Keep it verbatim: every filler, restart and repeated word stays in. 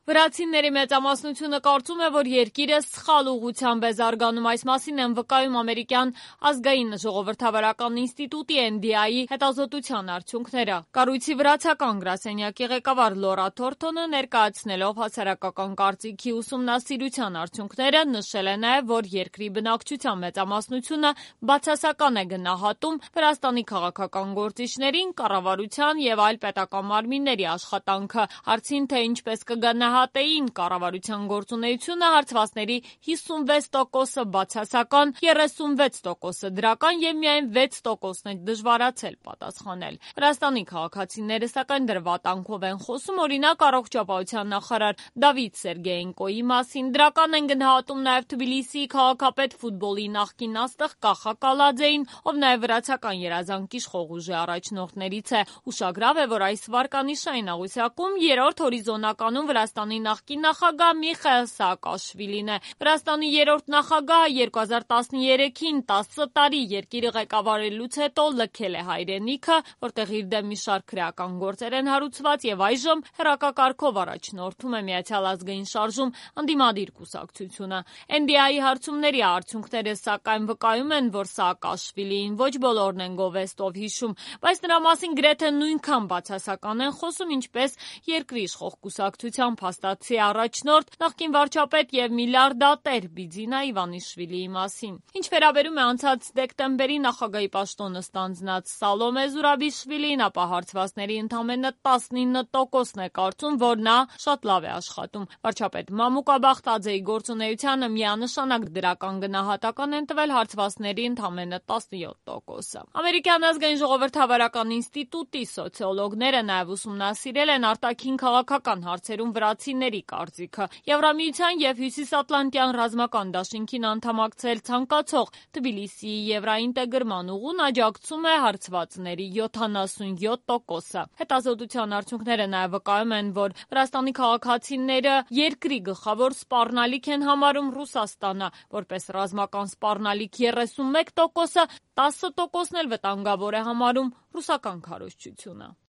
Վրացիների մեծամասնությունը կարծում է, որ երկիրը սխալ ուղղությամբ է զարգանում, այս մասին են վկայում ամերիկյան ազգային ժողովրդավարական ինստիտուտի N D I-ի հետազոտության արդյունքները։ Կառույցի վրացական գրասենյակի ղեկավար Լորա Թորթոնը ներկայացնելով հասարակական կարծիքի ուսումնասիրության արդյունքները նշել է նաև, որ երկրի բնակչության մեծամասնությունը բացասական է գնահատում Վրաստանի քաղաքական գործիչներին, կառավարության եւ այլ պետական մարմինների աշխատանքը։ Հարցին, թե ինչպես կգնահատեին կառավարության գործունեությունը, հարցվածների հիսունվեց տոկոսը բացասական, երեսունվեց տոկոսը դրական եւ միայն վեց տոկոսն է դժվարացել պատասխանել։ Վրաստանի քաղաքացիները սակայն դրվատանքով են խոսում, օրինակ առողջապահության նախարար Դավիթ Սերգեյենկոյի մասին, դրական են գնահատում նաև Թբիլիսիի քաղաքապետ ֆուտբոլի նախկին աստղ Կախա Կալաձեին, ով նաև վրացական երազանքի իշխող ուժի առաջնորդներից է։ Ուշագրավ է, որ այս վարկանիշային աղյուսակում երրորդ հորիզոնականում Վրաստանի նախկին նախագահ Միխայիլ Սաակաշվիլին է։ Վրաստանի երրորդ նախագահը երկու հազար տասներեքին տասը տարի երկիրը ղեկավարելուց հետո լքել է հայրենիքը, որտեղ իր դեմ մի շարք քրեական գործեր են հարուցված եւ այժմ հեռակակարգով առաջնորդում է Միացյալ ազգային շարժում ընդդիմադիր կուսակցությունը։ N D I-ի հարցումների արդյունքները սակայն վկայում են, որ Սաակաշվիլիին ոչ բոլորն են գովեստով հիշում, բայց նրա մասին գրեթե նույնքան բացասական են խոսում, ինչպես երկրի իշխող կուսակցության փաստացի առաջնորդ, նախկին վարչապետ եւ միլիարդատեր Բիձինա Իվանիշվիլիի մասին։ Ինչ վերաբերում է անցած դեկտեմբերի նախագահի պաշտոնը ստանձնած Սալոմե Զուրաբիշվիլիին, ապա հարցվածների ընդամենը տասնինը տոկոսն է կարծում, որ նա շատ լավ է աշխատում։ Վարչապետ Մամուկա Բախտաձեի գործունեությանը միանշանակ դրական գնահատական են տվել հարցվածների ընդամենը տասնյոթ տոկոսը։ Ամերիկյան ազգային ժողովրդավարական ինստիտուտի սոցիոլոգները նաև ուսումնասիրել են արտաքին քաղաքական հարցերում վրացիների կարծիքը։ Եվրամիության եւ Հյուսիսատլանտյան ռազմական դաշինքին անդամակցել ցանկացող Թբիլիսիի եվրաինտեգրման ուղուն աջակցում է հարցվածների յոթանասունյոթ տոկոսը։ Հետազոտության արդյունքները նաև վկայում են, որ Վրաստանի քաղաքացիները երկրի գլխավոր սպառնալիք են համարում Ռուսաստանը, որպես ռազմական սպառնալիք երեսունմեկ տոկոսը, տասը տոկոսն էլ վտանգավոր է համարում ռուսական քարոզչությունը։